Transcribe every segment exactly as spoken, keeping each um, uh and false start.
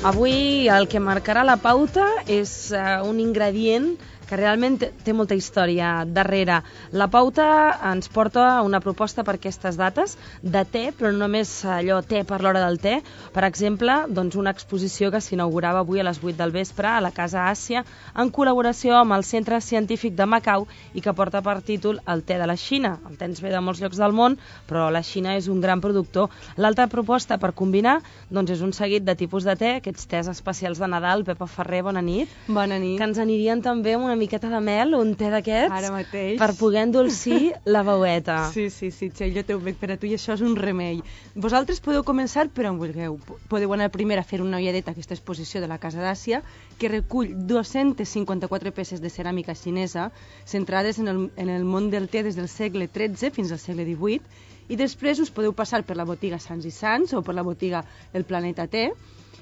Avui el que marcarà la pauta és uh, un ingredient que realment té molta història darrere. La pauta ens porta una proposta per aquestes dates de te, però no només allò te per l'hora del te. Per exemple, doncs una exposició que s'inaugurava avui a les vuit del vespre a la Casa Àsia en col·laboració amb el Centre Científic de Macau i que porta per títol El te de la Xina. El te ens ve de molts llocs del món, però la Xina és un gran productor. L'altra proposta per combinar doncs és un seguit de tipus de te, aquests tes especials de Nadal. Pepa Ferrer, bona nit. Bona nit. Que ens anirien també una miqueta de mel, un te d'aquests, ara mateix, per poder endolcir la veueta. Sí, sí, sí, Txell, jo t'ho veig per a tu i això és un remei. Vosaltres podeu començar per on vulgueu. Podeu anar primer a fer una ulladeta a aquesta exposició de la Casa d'Àsia, que recull dues-centes cinquanta-quatre peces de ceràmica xinesa, centrades en el, en el món del te des del segle tretze fins al segle divuit, i després us podeu passar per la botiga Sants i Sants o per la botiga El Planeta Te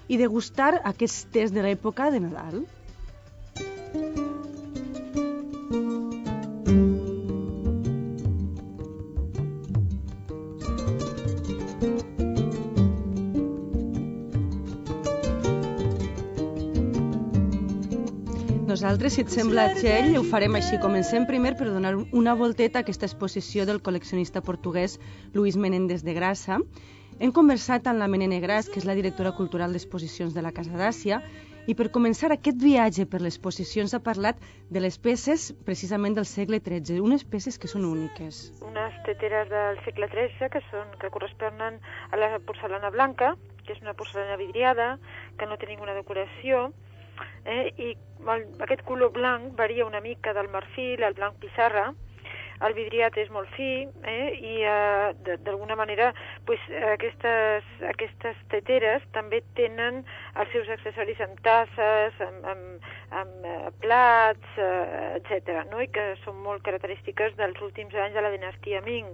i degustar aquests tes de l'època de Nadal. Nosaltres, si et sembla, Txell, ho farem així. Comencem primer per donar una volteta a aquesta exposició del col·leccionista portuguès Luís Menéndez de Grassa. Hem conversat amb la Menene Gras, que és la directora cultural d'exposicions de la Casa d'Àsia, i per començar aquest viatge per l'exposició ens ha parlat de les peces precisament del segle tretze, unes peces que són úniques. Unes teteres del segle tretze que, són, que corresponen a la porcelana blanca, que és una porcelana vidriada, que no té ninguna decoració, Eh, i el, aquest color blanc varia una mica del marfil al blanc pissarra. El vidriat és molt fi, eh, i eh, d'alguna manera pues, aquestes, aquestes teteres també tenen els seus accessoris amb tasses, amb, amb, amb eh, plats, eh, etcètera, no? I que són molt característiques dels últims anys de la dinastia Ming.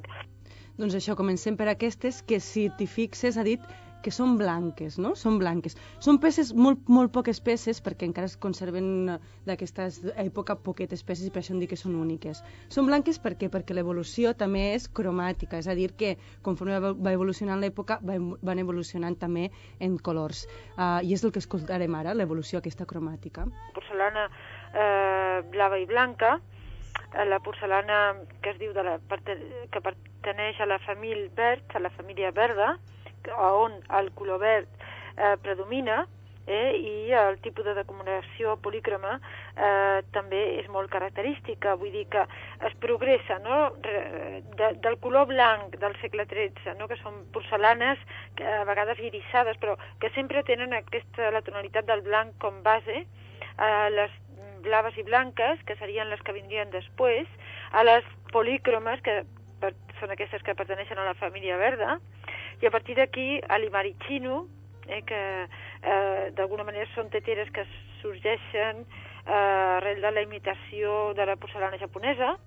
Doncs això, comencem per aquestes que, si t'hi fixes, ha dit que són blanques, no? Són blanques. Són peces, molt, molt poques peces, perquè encara es conserven d'aquesta època poquetes peces i per això em dic que són úniques. Són blanques per què? Perquè l'evolució també és cromàtica, és a dir que conforme va evolucionant l'època van evolucionant també en colors. Uh, I és el que escoltarem ara, l'evolució aquesta cromàtica. Porcelana eh, blava i blanca, la porcelana que es diu de la, que pertaneix a la família verd, a la família verda, on el color verd eh, predomina, eh, i el tipus de decoració polícroma eh, també és molt característica, vull dir que es progressa, no? de, del color blanc del segle tretze, no? Que són porcelanes que a vegades irisades, però que sempre tenen aquesta, la tonalitat del blanc com base, eh, les blaves i blanques, que serien les que vindrien després, a les polícromes, que per, són aquestes que pertaneixen a la família verda, i a partir d'aquí a l'Imarichino, eh, que eh, d'alguna manera són teteres que sorgeixen eh, arrel de la imitació de la porcelana japonesa.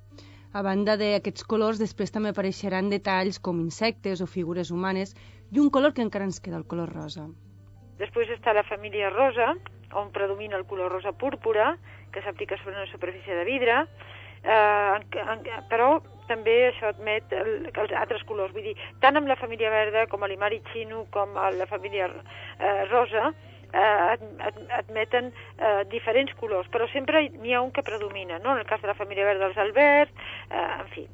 A banda d'aquests colors, després també apareixeran detalls com insectes o figures humanes i un color que encara ens queda, el color rosa. Després està la família rosa, on predomina el color rosa púrpura, que s'aplica sobre una superfície de vidre, eh, en, en, però també això admet el, els altres colors. Vull dir, tant amb la família verda com a l'Imarichino com a la família eh, rosa eh, ad, ad, admeten eh, diferents colors, però sempre n'hi ha un que predomina, no? En el cas de la família verda, els el verd, eh, en fi.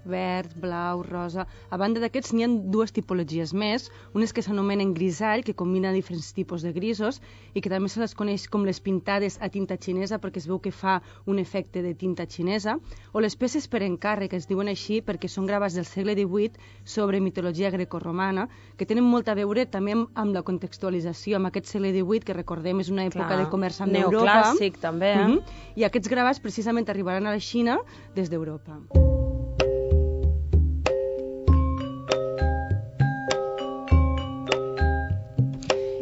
Verd, blau, rosa... A banda d'aquests n'hi ha dues tipologies més, unes que s'anomenen grisall, que combina diferents tipus de grisos, i que també se les coneix com les pintades a tinta xinesa, perquè es veu que fa un efecte de tinta xinesa, o les peces per encàrrec, que es diuen així perquè són gravats del segle divuit sobre mitologia grecorromana, que tenen molt a veure també amb, amb la contextualització, amb aquest segle divuit, que recordem és una època Clar. de comerç amb Europa. Neoclàssic, també, eh? Uh-huh. I aquests gravats precisament arribaran a la Xina des d'Europa.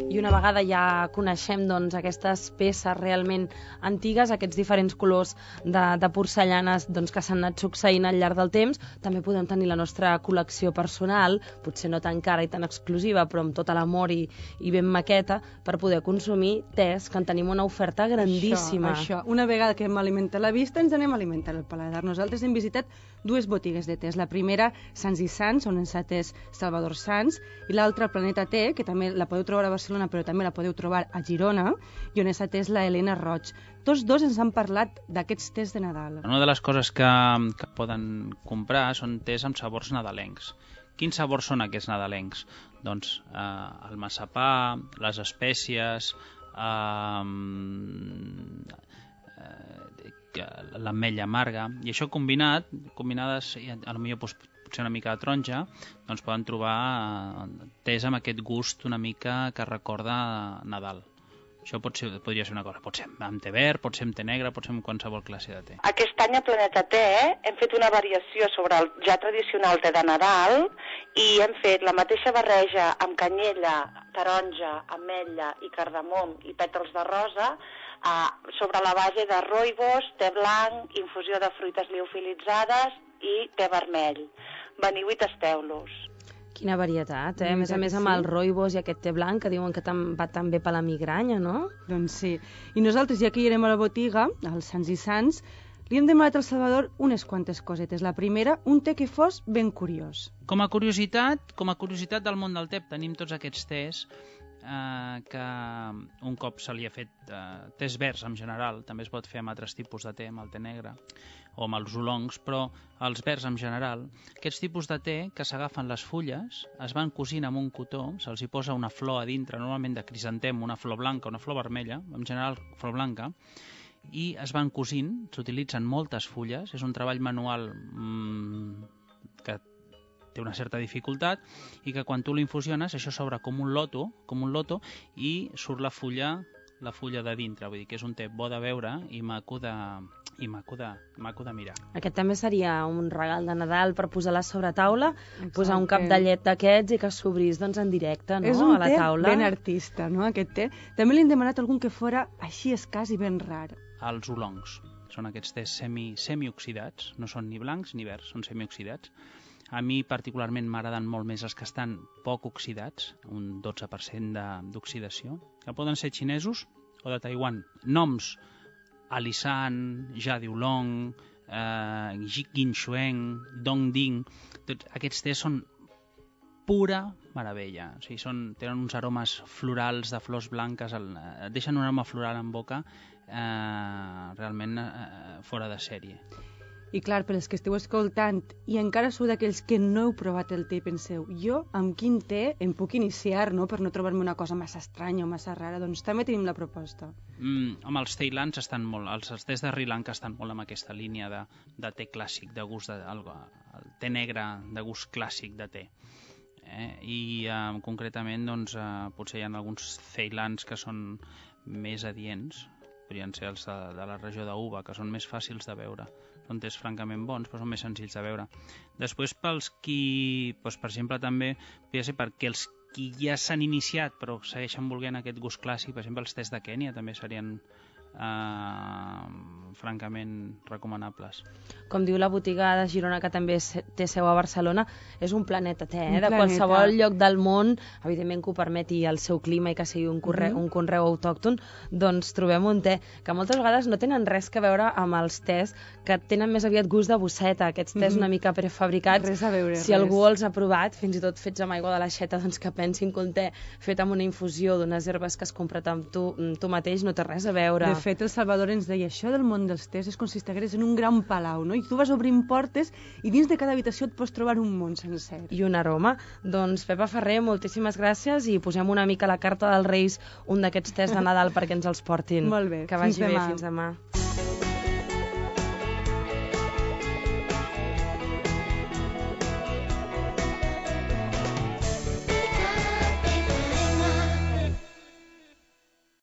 I una vegada ja coneixem doncs, aquestes peces realment antigues, aquests diferents colors de, de porcellanes doncs, que s'han anat succeint al llarg del temps, també podem tenir la nostra col·lecció personal, potser no tan cara i tan exclusiva, però amb tot l'amor i, i ben maqueta, per poder consumir tés, que en tenim una oferta grandíssima. Això, això. Una vegada que hem alimentat la vista, ens anem a alimentar el paladar. Nosaltres hem visitat dues botigues de tés. La primera, Sants i Sants, on ens ha atès Salvador Sans, i l'altra, Planeta Te, que també la podeu trobar a Barcelona però també la podeu trobar a Girona, i on és atès la Helena Roig. Tots dos ens han parlat d'aquests tés de Nadal. Una de les coses que, que poden comprar són tés amb sabors nadalencs. Quins sabors són aquests nadalencs? Doncs eh, el massapà, les espècies, eh, eh, l'ametlla amarga, i això combinat, combinades, potser potser una mica de taronja, doncs poden trobar eh, tés amb aquest gust una mica que recorda Nadal. Això pot ser, podria ser una cosa, pot ser amb té verd, pot ser amb té negre, pot ser amb qualsevol classe de té. Aquest any a Planeta Té hem fet una variació sobre el ja tradicional té de Nadal i hem fet la mateixa barreja amb canyella, taronja, ametlla i cardamom i pètals de rosa eh, sobre la base de rooibos, té blanc, infusió de fruites liofilitzades i té vermell. Veniu i tasteu-los. Quina varietat, eh? A més a més amb el rooibos i aquest té blanc que diuen que va tan bé per la migranya, no? Doncs sí. I nosaltres, ja que hi irem a la botiga, als Sants i Sants, li hem demanat al Salvador unes quantes cosetes. La primera, un té que fos ben curiós. Com a curiositat, com a curiositat del món del té, tenim tots aquests tés eh, que un cop se li ha fet eh, tés verds en general, també es pot fer amb altres tipus de té, amb el té negre o amb els oolongs, però els verds en general, aquests tipus de té que s'agafen les fulles, es van cosint amb un cotó, se'ls hi posa una flor a dintre, normalment de crisantem, una flor blanca, una flor vermella, en general flor blanca, i es van cosint, s'utilitzen moltes fulles, és un treball manual mmm, que té una certa dificultat, i que quan tu l'infusiones, això s'obre com un loto, com un loto, i surt la fulla, la fulla de dintre, vull dir que és un té bo de veure i maco de, i maco de, maco de mirar. Aquest també seria un regal de Nadal per posar la sobretaula, posar un cap de llet d'aquests i que s'obrís doncs, en directe, no? És un a la té taula. Ben artista, no?, aquest té. També li hem demanat algun que fora així escàs i ben rar. Els oolongs. Són aquests tés semi, semioxidats, no són ni blancs ni verds, són semioxidats. A mi particularment m'agraden molt més els que estan poc oxidats, un dotze per cent d'oxidació, que poden ser xinesos o de Taiwan. Noms: Alisan, Jadiulong, eh, Ginxueng, Dongding, tots aquests tés són pura meravella. O sigui, són, tenen uns aromes florals de flors blanques, el, et deixen un aroma floral en boca eh, realment eh, fora de sèrie. I clar, per als que esteu escoltant i encara sou d'aquells que no heu provat el té i penseu, jo amb quin té em puc iniciar, no?, per no trobar-me una cosa massa estranya o massa rara, doncs també tenim la proposta. Mm, home, els teilans estan molt, els, els tés de Sri Lanka estan molt amb aquesta línia de, de té clàssic, de gust de, el, el té negre de gust clàssic de té. Eh? I eh, concretament, doncs, eh, potser hi ha alguns ceilans que són més adients, podrien ser els de, de la regió d'Uva, que són més fàcils de veure. Són tés francament bons, però són més senzills de veure. Després, pels qui, doncs, per exemple, també, podria ser perquè els qui ja s'han iniciat però segueixen volent aquest gust clàssic, per exemple, els tés de Kènia també serien eh, francament recomanables. Com diu la botiga de Girona, que també té seu a Barcelona, és un planeta té, eh? Un de planeta. qualsevol lloc del món, evidentment que ho permeti el seu clima i que sigui un, corre, Mhm. un conreu autòcton, doncs trobem un té que moltes vegades no tenen res que veure amb els tés, que tenen més aviat gust de bosseta, aquests tés Mhm. una mica prefabricats. Res a veure, si res. algú els ha provat, fins i tot fets amb aigua de l'aixeta, doncs que pensin que un té fet amb una infusió d'unes herbes que has comprat amb tu, amb tu mateix no té res a veure. De fet, el Salvador ens deia, això del món dels tés és com si estigueres en un gran palau, no? I tu vas obrint portes i dins de cada habitació et pots trobar un món sencer. I un aroma. Doncs Pepa Ferrer, moltíssimes gràcies i posem una mica a la carta dels Reis un d'aquests tés de Nadal perquè ens els portin. Molt bé, Que vagi fins bé, demà. fins demà.